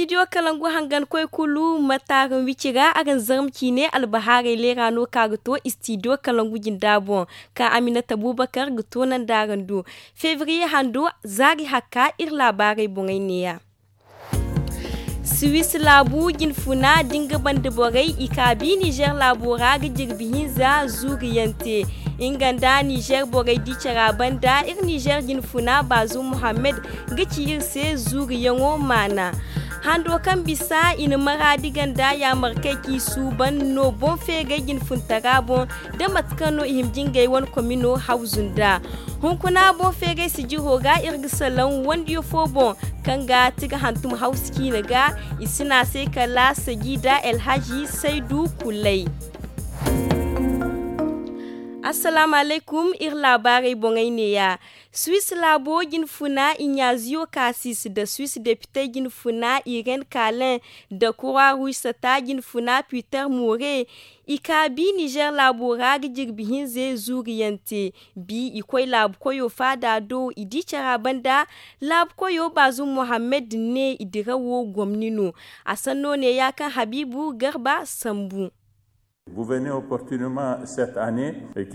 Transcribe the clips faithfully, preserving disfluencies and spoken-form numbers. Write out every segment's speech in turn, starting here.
Istidiyo kalangu hangan koy kulu ma taaran wici ra araŋ zarma ciine albahaarey leera no ka ga to istidiyo kalangu jinda boŋ, ka aminata buubakar ga toonandi araŋ do. Febriye hando zaari hakka iri laabaarey boŋey neeya. Siwis laabu jinfuna da nga banda borey i ka bi nizer laabo ra ga jirbi hinza zuuriyaŋ te. Nga nda nizer borey di cara banda iri nizer jinfuna baazum muhammad ga ci iri se zuuriyaŋo maana. Hando kaŋ bisa i na maraadi ganda yaamarkey kaŋ i suuban no boŋ feeray jinfuntara boŋ da mate kaŋ no i hima jingay wane komino hawzu nda. Hunkuna boŋ feeray sijiro ga iri ga salaŋ wandiyo fo boŋ kaŋ ga ti ga hantum hawsu ciine ga. I si ne a se kala sajida elhaji saydu kulay. Assalaamu alaykum, iri laabaarey boŋey neeya. Swis laabo jinfuna iɲaaziyo kaasis nda swis depite jinfuna iren kaalen nda kura ruysata jinfuna piter more. I ka bi nizer laabo ra ga jirbi hinze zuuriyaŋ te. Bi i koy laabu koyo faada do i di cara banda. Laabu koyo baazum muhammad ne i dirawo gomni no. A sanno neeya kaŋ habiibu garba sambu.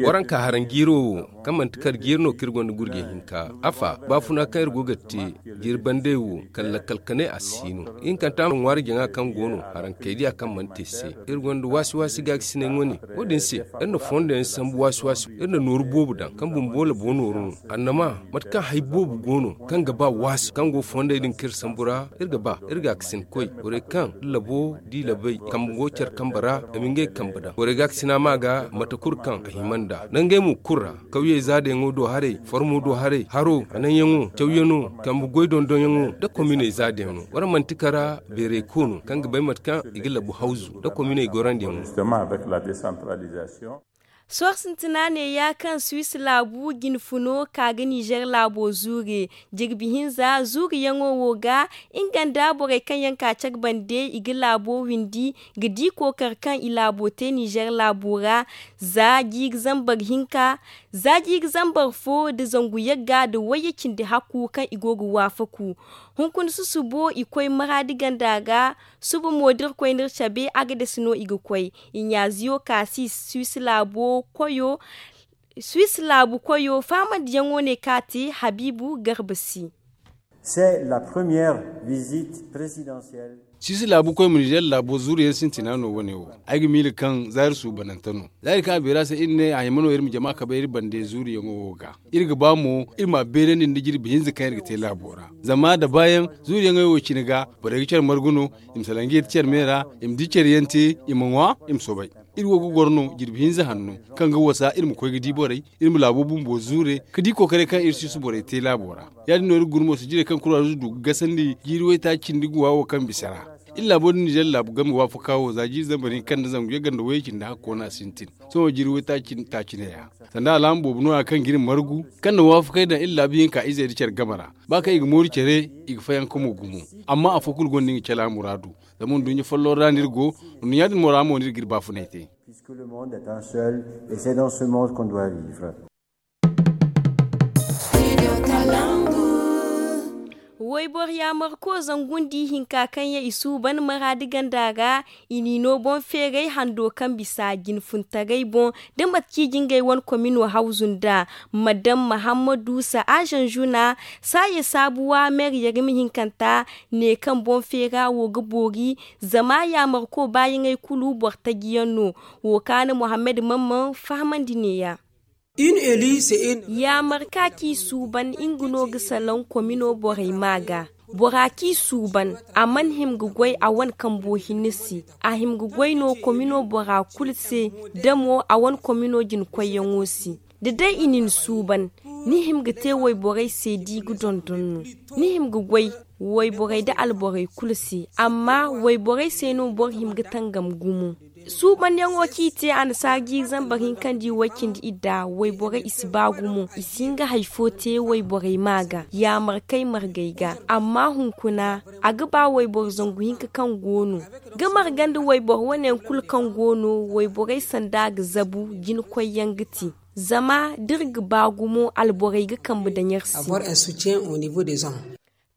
Waraŋ ka haraŋ jiiro wo kaŋ manti kar jiiri no kaŋ iri gonda gurje hinka. Afa baafuna kaŋ iri go ga te jiiri bandey wo kala lakkal kanay a si no. Ihinkanta ma ŋwaari jaŋa kaŋ go no haraŋ kay diya kaŋ mana te se. Iri gonda waasi waasi gaakasinay wane. Wo- din se iri na fondo yaŋ sambu waasi waasi iri na nooru boobo daŋ kaŋ bumbo labo nooru no. Annama mate kaŋ hari boobo go no kaŋ ga ba waasi kaŋ go fondey din kaŋ iri sambu ra iri ga ba iri gaakasin koy borey kaŋ iri labo di labey kambe go care kambe ra. Ama ngey kambe daŋ borey gaakasina ma ga mate kulu kaŋ a hima nd'a nda ngey mo kulu ra. Kawyey zaadayaŋo do haray formo do haray haro hananyaŋo cawyaŋo kambe goy dondonyaŋo nda kominey zaadayaŋo waraŋ manti kara beeray koono kaŋ ga bay mate kaŋ i ga labu hawzu nda kominey gorandiyaŋo. Sohõ sintina neeya kaŋ swis laabu jinfuno ka ga nizer laabo zuure. Jirbi hinza zuuriyaŋo wo ga nga nda borey kaŋ yaŋ ka care bande i ga laabo windi ga di kookari kaŋ i laabo te nizer laabo ra. Za jiiri zambar hinka za jiiri zambar fo nda zangu yagga nda wayye cindi hakku kaŋ i go ga waafaku. Hunkuna susubo i koy maraadi ganda ga. Suba mo da iri koy no iri cabe agades no i ga koy. Iɲaaziyo ka si swis laabo koyo swis laabu koyo faamandiyaŋo ne ka te habiibu garba si. C'est la première visite présidentielle. Swis laabu koy ma nizer laabo zuuriyaŋ sintina no wane wo. Ay ga miila kaŋ za iri suubanante no za iri kaŋ a beera se iri ne a hima no iri ma jama kabay iri bande zuuriyaŋo wo ga. Iri ga ba mo iri ma a beerandi nda jirbi hinza kaŋ iri ga te laabo ra. Zama da baayaŋ zuuriyaŋey wo cine ga borey ga care margu no. I ma salaŋ ga yeti care me ra i ma di care yaŋ te i ma ŋwa i ma soobay. Iri wo ga goro no jirbi hinza hanno kaŋ ga wasa iri ma koy ga di borey iri ma laabo bumbo zuure ga di kookaray kaŋ iri si si borey te laabo ra. Ya- din no iri ga guna mo sijirey kaŋ kuraarizo du ga gasandi jiiri waytaaci cindi guwa wo kaŋ bisa ra. Iri laabo din nizer laabu game waafaka wo za jiiri zambar hinka nda zangu yagga nda wayye cindi hakko no a sintin. Sohõ jiiri waytaaci taaci neeya sanda alaama boobo nooya kaŋ ga iri margu kaŋ na waafakey daŋ iri laabu hinka izey nda care game ra. Ba kaŋ i ga mooru care i ga fayanka mo gumo. Amma afo kulu gonda nga cala muraadu. Zama nduɲɲa folloŋ ra no iri go. Nduɲɲa din mo ra mo no iri ga iri baafunay te. Puisque le monde est un seul et c'est dans ce monde qu'on doit vivre. Wayboro yaamarko zangu nda ihinka kaŋ yaŋ i suuban maraadi ganda ra. I n'i no boŋ feeray hando kaŋ bisa jinfuntaray boŋ da mate kaŋ i ga ngey wane komino hawzu nd'a. Madam mahammadu sa'aazan zuna saaye saabuwa meeriyar ma hinkanta ne kaŋ boŋ feera wo ga boori. Zama yaamarko baayaŋey kulu boro taji yaŋ no. Wo kaana muhammad mamman fahamandi neeya. Yaamar ka kaŋ i suuban nga no ga salaŋ komino borey ma ga. Bora kaŋ i suuban a mana hima ga goy a wane kambo hinne se. A hima ga goy no komino bora kulu se. Da mo a wane komino jina koyyaŋo se. Da day i na ni suuban ni hima ga te wayborey se da i ga dondon no. Ni hima ga goy wayborey nda alborey kulu se. Amma wayborey se no boro hima ga tangam gumo. Suubanyaŋo kaŋ i te annasaara jiiri zambar hinka nda i way cindi idda wayborey i si ba gumo i si hin ga hari fo te wayborey ma ga yaamarkey margey ga. Amma hunkuna a ga ba wayboro zangu hinka kaŋ go no ga marga nda wayboro wane yaŋ kulu kaŋ go no wayborey sanda ga zabu jina koyyaŋ ga te. Zama da iri ga ba gumo alborey ga kambe daŋ iri se.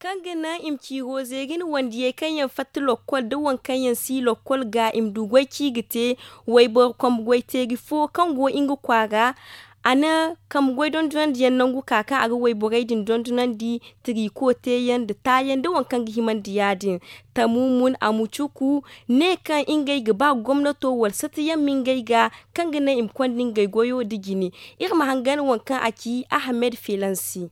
Kaŋ ga naŋ i ma ciiro zeeri nda wandiyey kaŋ yaŋ fatta lokkol nda waŋ kaŋ yaŋ si lokkol ga i ma du goy kaŋ i ga te. Wayboro kambe goy teeri fo kaŋ go nga kwaara, a na kambe goy dondonandiyaŋ nangu ka kaŋ a ga wayborey din dondonandi, tiriko teeyaŋ nda taayaŋ nda waŋ kaŋ ga himandi ya- din. Tamumun a ma cuku ne kaŋ ngey ga ba gomnato wala satayaŋ ma ngey ga, kaŋ ga naŋ i ma konda ngey goyo nda jine. Iri ma hangan waŋ kaŋ a ci ahamed filansi.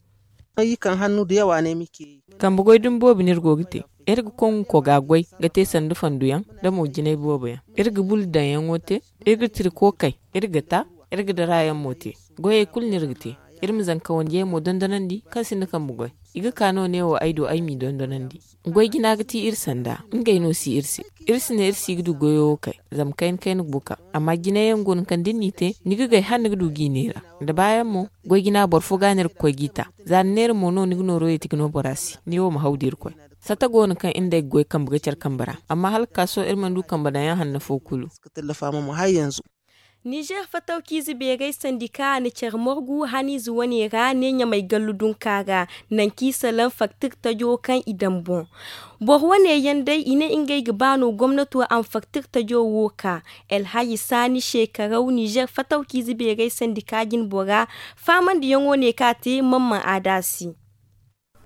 Kambe goy dumi boobo no iri go ga te. Iri ga kongu koga goy ga te sanda fanduyaŋ, da mo jinay boobo yaŋ. Iri ga bulu daŋyaŋo te. Iri ga tiri kookay. Iri ga ta. Iri ga darayaŋ mo te. Goyey kulu no iri ga te. Iri ma zanka wandiyey mo dondonandi kaŋ sinda kambe goy. I ga ka no neewo ay do ay m'i dondonandi. Goy jina ga ti iri sanda. Ngey no si iri se. Iri si ne iri si ga du goyo wo kay. Zama kayna kayna ga buka. Amma jinay yaŋ go no kaŋ da ni n'i te, ni ga gay hala ni ga du g'i neera. Da baayaŋ mo, goy jina boro fo ga no iri ga koy g'i ta. Za ni neera mo no ni ga nooro yeeti ga no bora se. Neewo ma haw da iri koy. Sata go no kaŋ iri nd'ey ga goy kambe ga care kambe ra. Amma hala ga ka sohõ iri mana du kambe daŋyaŋ hanno fo kulu. Nizer fatawkiize beerey sandika na care morgu haniize wane ra ne ɲamay gallu dunka ra. Nanci salaŋ faktir tajo kaŋ i daŋ boŋ. Boro wane yaŋ day i ne ngey ga ba no gomnato a ma faktir tajo wo ka. Elhaji saani shekaraw nizer fatawkiize beerey sandika jinbora. Faamandiyaŋo ne kaŋ a te mamman aada se.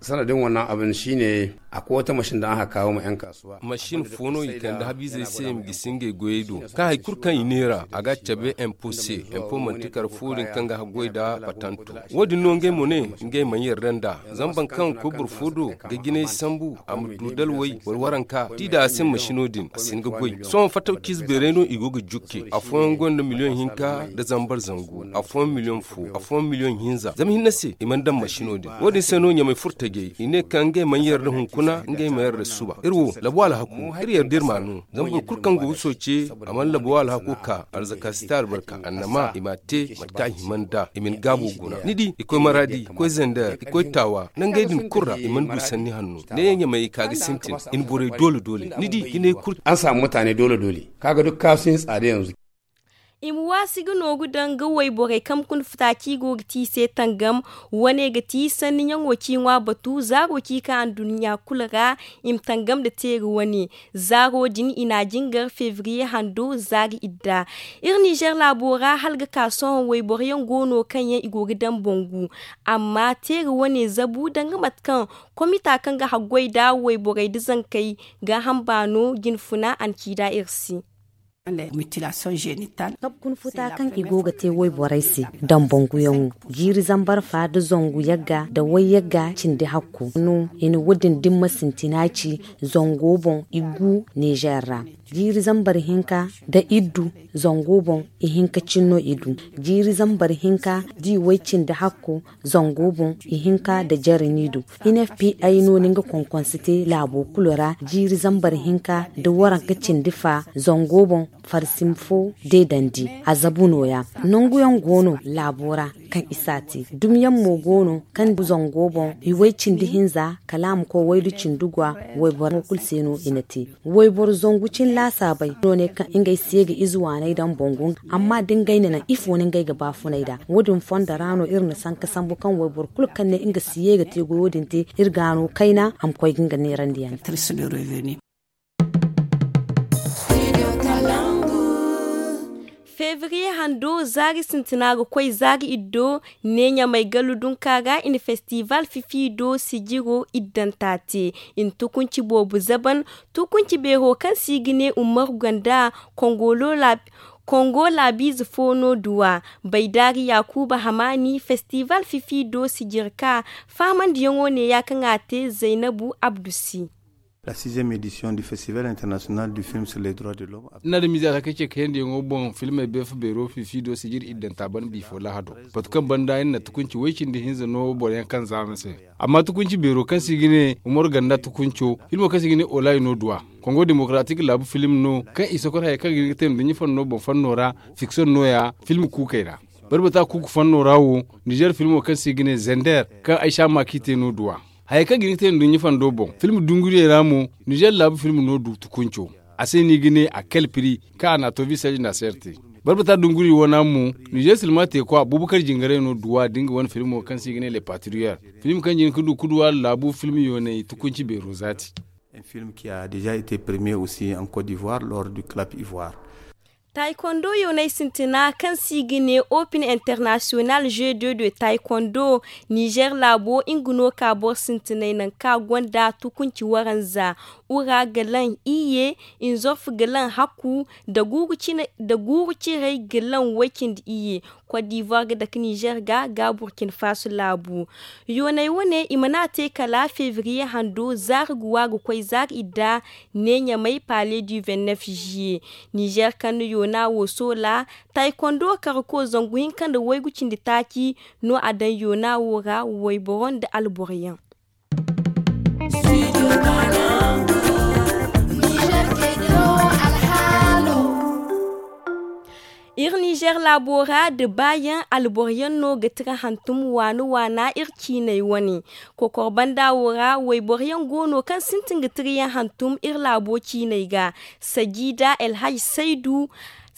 Sanadin wannan abin shi ne akwai wata mashin da aka kawo ma yan kasuwa. Mashin fo no i kande habiizey se i ma gisi ngey goyey do kaŋ hari kulu kaŋ i neera a ga a cabe empo se. Empo manti kare fo din kaŋ ga haggoy nda patanto. Wo- din no ngey mo ne ngey mana yarda nd'a. Zama boro kaŋ ga koy boro fo do ga jinay sambu a ma du dalwey wala waranka da i daŋ a se mashino din a si hin ga goy. Sohõ fatawkiize beeray no i go ga jukke. Afooyaŋ gonda miliyoŋ hinka nda zambar zangu, afooyaŋ miliyoŋ fo, afooyaŋ miliyoŋ hinza. Zama hinne se i mana daŋ mashino din. Wo- din se no ɲamay furtajey i ne kaŋ ngey mana yarda hunkuna, ngey ma yarda suba. Iri wo labu alhaku, iri yarda iri m'a no. Zama boro kulu kaŋ go ga sooce a mana labu alhako ka arzaka si te albarka annama i m'a te mate kaŋ a hima nd'a i ma ni gaabo guna. Ni di i koy maradi i koy zender i koy taawa nangey din kulu ra i mana du sanni hanno. Ne ɲamay ka ga sintin i na borey doole doole ni di jinay kulu. An saamu mutaane doole doole ka ga duk kaasu ɲa tsaada yanzu. I ma waasi ga nooru daŋ ga wayborey kaŋ kuna futa kaŋ i go ga te i se tangam. Wane ga ti sanniyaŋo ciiŋwa batu zaaro ci ka anduɲɲa kulu ra. I ma tangam nda teeri wane zaaro din i n'a jingar febriye hando zaari idda. Iri nizer laabo ra hala ga ka sohõ wayboro yaŋ go no kaŋ yaŋ i go ga daŋ bangu. Amma teeri wane zabu danga mate kaŋ komita kaŋ ga haggoy nda wayborey nda zankey gaaham baano jinfuna a na ci nd'a iri se. Kabu kuna futa kaŋ i go ga te wayborey se daŋ banguyaŋo jiiri zambar fa nda zangu yagga nda wayyagga cindi hakku no i na wo- din dimma sintina ci. Zango boŋ i gu nizer ra jiiri zambar hinka nda iddu. Zango boŋ i hinka cine no i du. Jiiri zambar hinka da i way cindi hakku zango boŋ i hinka nda jare no i du. N f p ay no ni nga konkonse te laabo kulu ra jiiri zambar hinka nda waranka cindi fa zango boŋ farsim fo deedandi. A zabu nooya nanguyaŋ go no laabo ra kaŋ i s'a te dumyaŋ mo go no kaŋ zango boŋ i way cindi hinza kala a ma koy waydu cindi gwa. Wayboro kulu se no i na te wayboro zangu cine laasaabey no ne kaŋ ngey se ga ize waaney daŋ bangu. Amma da ngey na naŋ ifo no ngey ga baafunay nd'a wo- din fondo ra no iri na sanka sambu kaŋ wayboro kulu kaŋ ne nga si ye ga te goyo din te iri ga no kayna a ma koy ga nga neerandiyaŋ. Febriye hando zaari sintina ga koy zaari iddo ne ɲamay gallu dunka ga i na festival fifi do sijiro iddanta te. I na tukunci boobo zaban tukunci beero kaŋ se i ga ne umaru ganda kongo laabiize fo no duwa. Baydaari yaakuuba hamaani festival fifi do sijir ka faamandiyaŋo neeya kaŋ a te zaynabu abdu se. La sixième édition du festival international du film sur les droits de l'homme. Iri na adamiize a taka ce kayandiyaŋo boŋ filmey beefa beero fifi do sijir iddanta ban biifo lahado. Batu kaŋ banda iri na tukunci way cindi hinza no boroyaŋ kaŋ zaama se. Amma tukunci beero kaŋ se i ga ne umaru ganda tukunco filmo kaŋ se i ga ne olayi no duwa. Kongo demokaraatik laabu film no kaŋ i sokor hayey kaŋ ga hin ga te nduɲɲa fanno boŋ fanno ra. Fikson nooya film kuukey ra. Barbata kuuku fanno ra wo nizer filmo kaŋ se i ga ne zender kaŋ ay saama k'i te no duwa. Hayey kaŋ ga hin ga te nduɲɲa fando boŋ film dunguriyey ra mo nizer laabu film no du tukunco. A se no i ga ne a kal piri kaŋ a na a to visaj nda a serte. Barbata dunguri wana mo, nizer silma teekwa bubakar jingaray no duwa da nga wane filmo kaŋ se i ga ne le patriyar, film kaŋ jin ga du kuduwa laabu film yoonay tukunci beero zaati. Un film qui a déjà été premier aussi en côte d'ivoire lors du club ivoire. Taekwondo yoonay sintina kaŋ se i ga ne open international jeu de de taekwondo, nizer laabo nga no ka boro sintinay nangu kaŋ a gonda tukunci waranza, ura ga laŋ iyye, inzorf ga laŋ hakku, da guuru ciray ga laŋ way-cindi iyye. Kot divoire ga dake nizer ga ga burkina faso laabu. Yoonay wane i mana te kala febriye hando zaari ga wa ga koy zaari idda, ne ɲamay palais du vingt-neuf juillet. Nizer kaŋ na yoona wo soola, taekwondo karko zangu hinka nda waygu cindi taaci no a daŋ yoona wo ra, wayboro nda alboro yaŋ. Iri nizer laabo ra da baayaŋ alboro yaŋ no ga tira hantum waana waana iri ciinay wane. Kokor banda wo ra wayboro yaŋ go no kaŋ sintin ga tira yaŋ hantum iri laabo ciinay ga. Sajida elhaj saydu,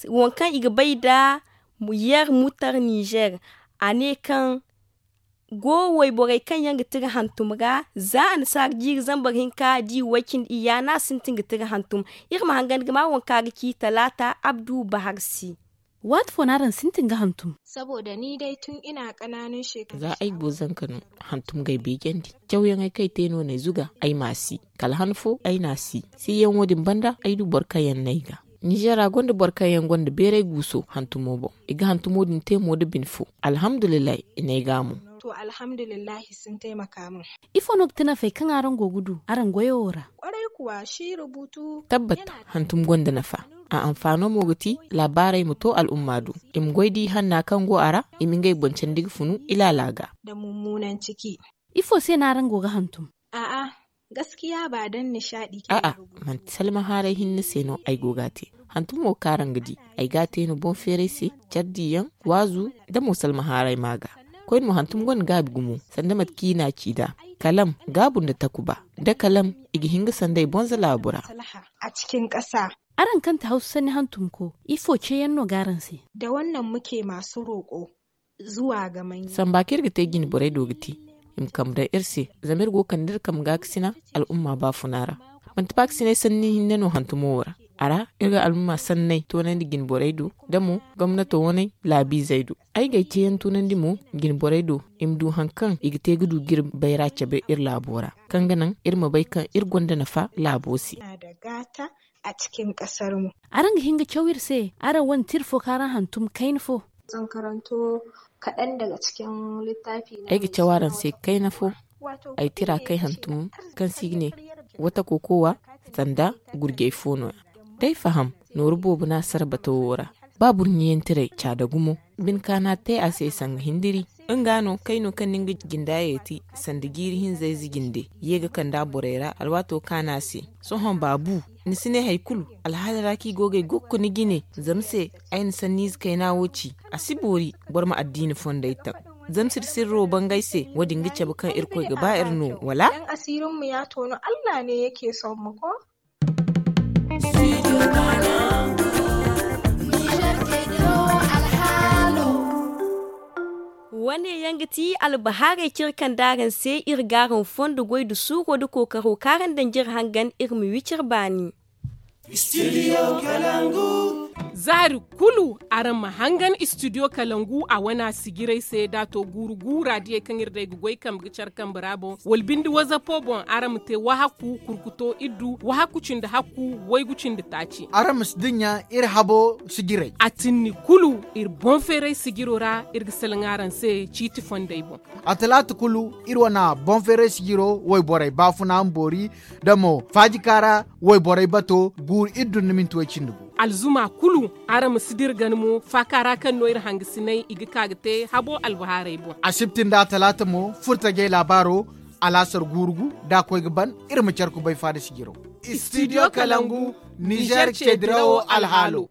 waŋ kaŋ i ga bay nda yer mutar nizer, a ne kaŋ go wayborey kaŋ yaŋ ga tira hantum ra, za annasaara jiiri zambar hinka da i way-cindi iyya no a sintin ga tira hantum. Iri ma hangan ga ma waŋ kaŋ a ga ci talaata abdu bahar se. Waati fo no araŋ sintin ga hantum? Za ay go zanka no, hantum ga ay beejandi. Cawyaŋey kaŋ ay te no no ay zuga, ay ma a si. Kala han fo ay na a si. Siyaŋo din banda ay du boro kaŋ yaŋ no ay ga. Nizer ra gonda boro kaŋ yaŋ gonda beeray guuso hantumo boŋ. I ga hantumo din te mo nda bine fo. Alhamdulillahi, i n'ay ga mo. To alhamdulillahi, sun taimaka min. Ifo no ga ti nafey kaŋ araŋ go ga du araŋ goyo wo ra? Kwarai kuwa shi rubutu. Tabbat, hantum gonda nafa. A anfaano mo ga ti laabaarey ma to al'umma do. I ma goy da i hanna kaŋ go a ra, i ma ngey boŋ candi ga funu ilaala ga. Da mummunan ciki. Ifo se no araŋ go ga hantum? A'a, gaskiya ba dan nishaɗi kaŋ a'a, manti salma haaray hinne se no ay go ga a te. Hantum wo kaŋ araŋ ga di, ay ga a te no boŋ feeray se, care diyaŋ, waazu, da mo salma haaray ma ga. Koyne mo hantum gonda gaabi gumo sanda mate kaŋ i n'a ci nd'a. Kalam, gaabu nda takuba, da kalam, i ga hin ga sanday bonza laabu ra. A cikin ƙasa. Araŋ kaŋ ti hawsa sanni hantumko, ifo ceeyaŋ no ga araŋ se? Da wannan muke masu roƙo zuwa ga manya. Samba kaŋ iri ga te jine borey do ga ti, i ma kambe daŋ iri se. Zama iri go ga kande iri kambe gaakasina al'umma baafuna ra. Manti baakasinay sanni hinne no hantumo wo ra. A ra, iri ga al'umma sanney toonandi jine borey do, da mo gomnato wane laabiizey do. Ay ga ay ceeyaŋ toonandi mo jine borey do, i ma du hari kaŋ i ga te ga du ga iri bayra cabe iri laabo ra, kaŋ ga naŋ iri ma bay kaŋ iri gonda nafa laabo se. A cikin ƙasarmu. Araŋ ga hin ga caw iri se araŋ wane tira fo kaŋ araŋ hantum kayna fo? Zan karanto kaɗan daga cikin littafi na. Ay ga caw araŋ se kayna fo. Ay tira kay hantum kaŋ se i ga ne wata kokowa sanda gurjay fo no-ya. D'ay faham, nooru boobo no a sara batawo ra. Ba burɲiyantiray ca da gumo. Bine kaana te a se sanga hindiri. Nga no kayno kaŋ ni nga jinda yeeti sanda jiiri hinza ize jinde ye ga kand'a borey ra alwaato kaana se. Sohõ baabu, ni si ne hari kulu. Alhaala ra kaŋ i go ga ay gokko ni jine zama se. Ay na sanniize kayna wo ci. A si boori boro ma addiina fondey taŋ. Zama siri sirro bangay se wo-din ga cabe kaŋ irkoy ga ba iri no wala? Asirinmu ya tono allah ne yake son mu ko? Wane yaŋ ga ti albahaarey kaŋ iri kande araŋ se iri ga araŋ fondo goy nda suuro nda kookaro kaŋ araŋ daŋ jire hangan iri ma wi cire baani. Zaari kulu araŋ ma hangan istidiyo kalangu a wana sijirey se da a to guuru guura diyey kaŋ iri day ga goy kambe ga care kambe ra boŋ wala binde wazapo boŋ araŋ ma te wahakku kurkuto iddu wahakku cindi hakku waygu cindi taaci. Araŋ ma si dinya iri habo sijirey a tinni kulu iri boŋ feeray sijiro ra iri ga salaŋ araŋ se ciiti fondey boŋ. A talaata kulu iri wana boŋ feeray sijiro wayborey baafuna ma boori da mo faajikaara wayborey bato guuru iddu nda minti way cindi gu. Alzuma kulu araŋ ma si dira gana mo faaka ra kaŋ no iri hangasiney i ga ka ga te habo albahaarey boŋ. Asibti nda atalaata mo furtajey laabaaro alaasar guuru gu da a koy ga ban iri ma care kubay faada sijiro. Istidiyo kalangu nizer ceedirawo alhaalo.